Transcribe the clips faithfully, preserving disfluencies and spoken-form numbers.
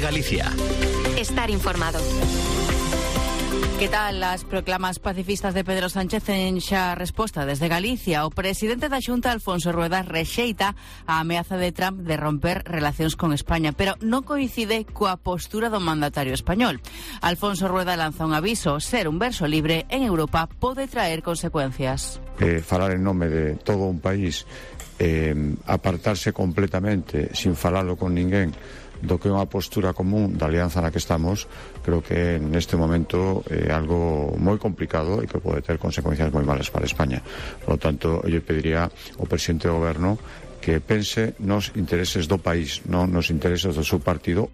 Galicia. Estar informado. Que tal as proclamas pacifistas de Pedro Sánchez en xa resposta desde Galicia? O presidente da Xunta, Alfonso Rueda, rexeita a ameaza de Trump de romper relacións con España, pero non coincide coa postura do mandatario español. Alfonso Rueda lanza un aviso: ser un verso libre en Europa pode traer consecuencias. Eh, falar en nome de todo un país, eh, apartarse completamente sin falalo con ninguén do que é unha postura común da alianza na que estamos, creo que neste momento é algo moi complicado e que pode ter consecuencias moi malas para España. Por lo tanto, eu pediría ao presidente do goberno que pense nos intereses do país, non nos intereses do seu partido.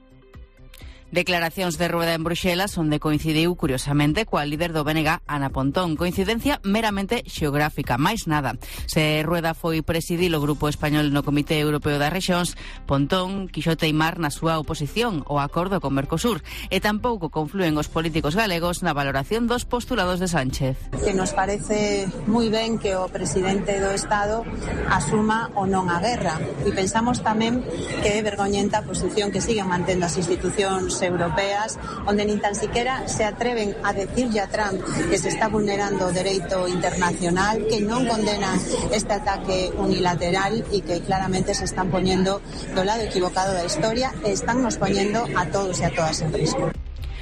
Declaracións de Rueda en Bruxelas onde coincidiu, curiosamente, coa líder do B N G, Ana Pontón. Coincidencia meramente xeográfica, máis nada. Se Rueda foi presidir o Grupo Español no Comité Europeo das Rexións, Pontón quixo teimar na súa oposición ao acordo con Mercosur, e tampouco conflúen os políticos galegos na valoración dos postulados de Sánchez. Que nos parece moi ben que o presidente do Estado asuma ou non a guerra, e pensamos tamén que é vergoñenta a posición que siguen mantendo as institucións europeas, onde nin tan siquiera se atreven a decirlle a Trump que se está vulnerando o dereito internacional, que non condenan este ataque unilateral e que claramente se están poñendo do lado equivocado da historia e están nos poñendo a todos e a todas en risco.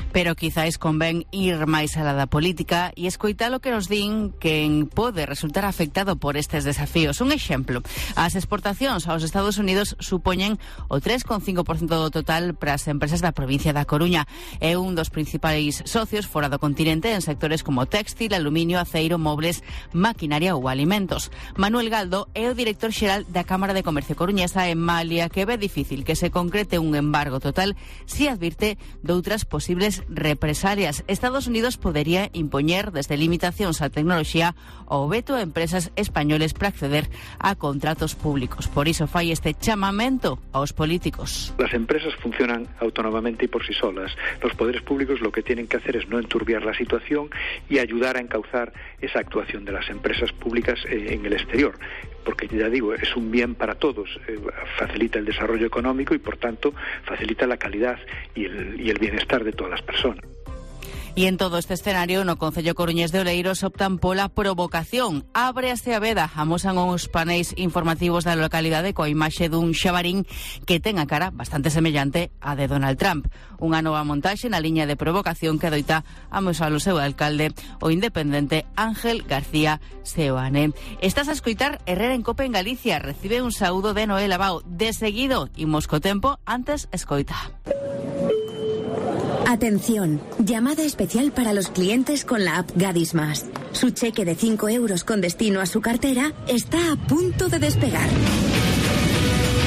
Pero quizáis convén ir máis alá da política e escoitar o que nos din quen pode resultar afectado por estes desafíos. Un exemplo, as exportacións aos Estados Unidos supoñen o tres coma cinco por cento do total para as empresas da provincia da Coruña. É un dos principais socios fora do continente en sectores como textil, aluminio, aceiro, mobles, maquinaria ou alimentos. Manuel Galdo é o director xeral da Cámara de Comercio coruñesa en Malia, que ve difícil que se concrete un embargo total si advirte doutras posibles represalias. Estados Unidos podería impoñer desde limitacións á tecnoloxía ou veto a empresas españoles para acceder a contratos públicos. Por iso fai este chamamento aos políticos. Las empresas funcionan autónomamente y por sí solas. Los poderes públicos lo que tienen que hacer es no enturbiar la situación y ayudar a encauzar esa actuación de las empresas públicas eh, en el exterior. Porque ya digo, es un bien para todos, eh, facilita el desarrollo económico y por tanto facilita la calidad y el, y el bienestar de todas las personas. E en todo este escenario, no Concello Coruñés de Oleiros optan pola provocación. Ábrease a veda, amosan os paneis informativos da localidade coa imaxe dun xabarín que ten a cara bastante semellante á de Donald Trump. Unha nova montaxe na liña de provocación que adoita amosar o seu alcalde, o independente Ángel García Seoane. Estás a escoitar Herrera en Cope en Galicia. Recibe un saúdo de Noel Abao. De seguido, imos co tempo, antes escoita. Atención, llamada especial para los clientes con la app Gadis Más. Su cheque de cinco euros con destino a su cartera está a punto de despegar.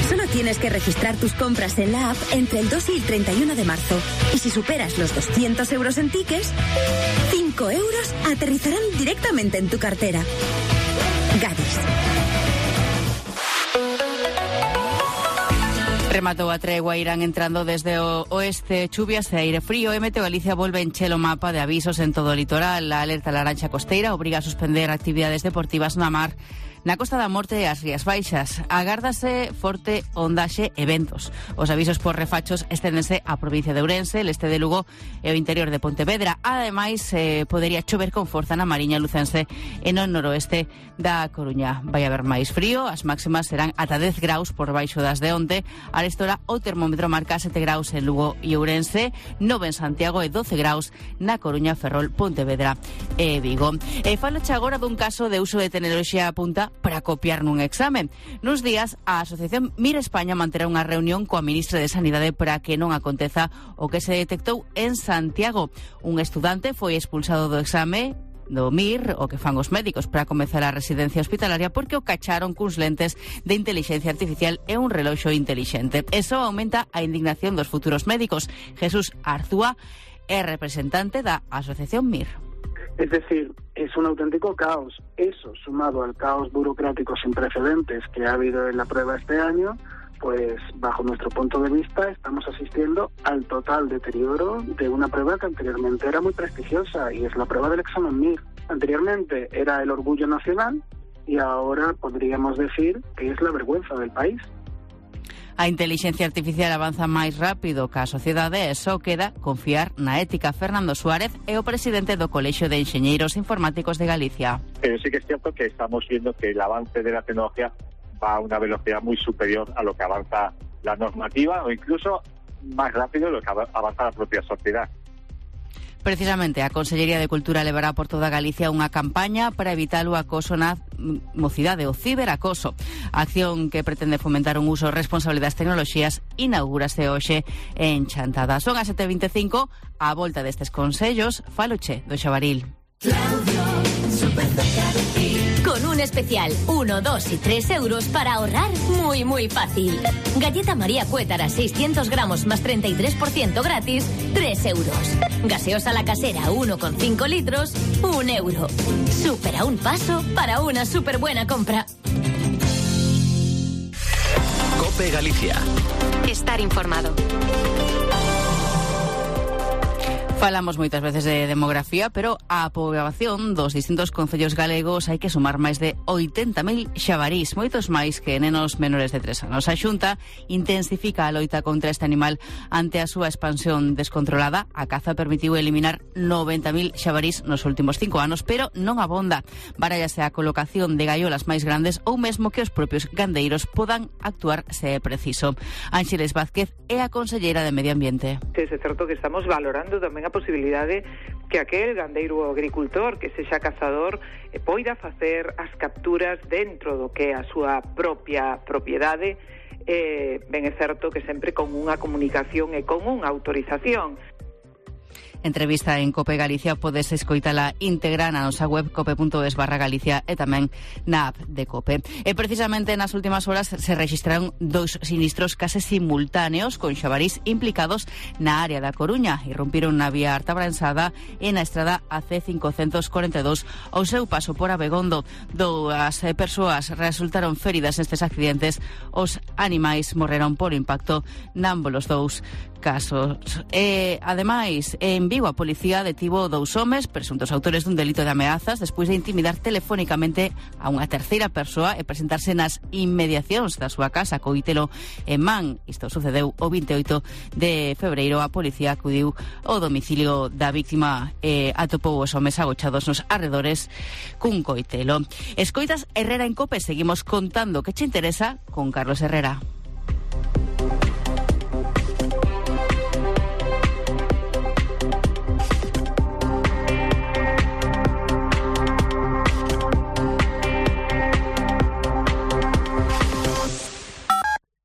Solo tienes que registrar tus compras en la app entre el dos y el treinta y uno de marzo. Y si superas los doscientos euros en tickets, cinco euros aterrizarán directamente en tu cartera. Gadis. Rematou a tregua, irán entrando desde o oeste chuvias e aire frío. E Meteo Galicia volve encher o mapa de avisos en todo o litoral. A alerta laranxa costeira obriga a suspender actividades deportivas na mar na Costa da Morte e as Rías Baixas. Agárdase forte ondaxe e ventos. Os avisos por refachos esténdense á provincia de Ourense, el este de Lugo e o interior de Pontevedra. Ademais, eh, podería chover con forza na Mariña Lucense e no noroeste da Coruña. Vai haber máis frío, as máximas serán ata dez graus por baixo das de onte. A estora o termómetro marca sete graus en Lugo e Ourense, nove en Santiago e doce graus na Coruña, Ferrol, Pontevedra e Vigo. E falache agora dun caso de uso de tecnoloxía a punta para copiar nun examen. Nuns días, a Asociación Mir España manterá unha reunión coa ministra de Sanidade para que non aconteza o que se detectou en Santiago. Un estudante foi expulsado do exame do Mir, o que fan os médicos para comezar a residencia hospitalaria, porque o cacharon cuns lentes de inteligencia artificial e un reloxo intelixente. Eso aumenta a indignación dos futuros médicos. Jesús Arzúa é representante da Asociación Mir. Es decir, es un auténtico caos. Eso, sumado al caos burocrático sin precedentes que ha habido en la prueba este año, pues bajo nuestro punto de vista estamos asistiendo al total deterioro de una prueba que anteriormente era muy prestigiosa, y es la prueba del examen Mir. Anteriormente era el orgullo nacional y ahora podríamos decir que es la vergüenza del país. A intelixencia artificial avanza máis rápido que a sociedade e só queda confiar na ética. Fernando Suárez é o presidente do Colexio de Enxeñeiros Informáticos de Galicia. Pero sí que es cierto que estamos viendo que el avance de la tecnología va a una velocidad muy superior a lo que avanza la normativa o incluso más rápido de lo que avanza la propia sociedad. Precisamente, a Consellería de Cultura levará por toda Galicia unha campaña para evitar o acoso na mocidade, o ciberacoso. A acción que pretende fomentar un uso responsable das tecnoloxías inaugúrase hoxe en Chantada. Son as sete e veinticinco, a volta destes consellos, faloche do Xabaril. Claudio, súper cerca de ti. Con un especial uno, dos y tres euros para ahorrar muy, muy fácil. Galleta María Cuétara, seiscientos gramos más treinta y tres por ciento gratis, tres euros. Gaseosa La Casera, uno coma cinco litros, un euro. Súper a un paso para una súper buena compra. COPE Galicia. Estar informado. Falamos moitas veces de demografía, pero a poboación dos distintos concellos galegos hai que sumar máis de oitenta mil xabarís, moitos máis que nenos menores de tres anos. A Xunta intensifica a loita contra este animal ante a súa expansión descontrolada. A caza permitiu eliminar noventa mil xabarís nos últimos cinco anos, pero non abonda. Barállase a colocación de gaiolas máis grandes ou mesmo que os propios gandeiros podan actuar se é preciso. Ángeles Vázquez é a conselleira de Medio Ambiente. É certo que estamos valorando tamén a posibilidade que aquel gandeiro ou agricultor que sexa cazador eh, poida facer as capturas dentro do que é a súa propia propiedade, eh, ben é certo que sempre con unha comunicación e con unha autorización. Entrevista en COPE Galicia podes escoitala íntegra na nosa web cope punto es barra Galicia e tamén na app de COPE. E precisamente nas últimas horas se registraron dous sinistros case simultáneos con xabarís implicados na área da Coruña. Irrompiron na vía Artabransada e na estrada A C cincocentos cuarenta e dous ao seu paso por Abegondo. Dúas persoas resultaron feridas nestes accidentes. Os animais morreron por impacto námbolos dous casos. E, ademais, en Vigo a policía detivo dous homes presuntos autores dun delito de ameazas despois de intimidar telefónicamente a unha terceira persoa e presentarse nas inmediacións da súa casa Coitelo en Man. Isto sucedeu o vinte e oito de febreiro. A policía acudiu ao domicilio da víctima e atopou os homes agochados nos arredores cun coitelo. Escoitas Herrera en COPE, seguimos contando que che interesa con Carlos Herrera.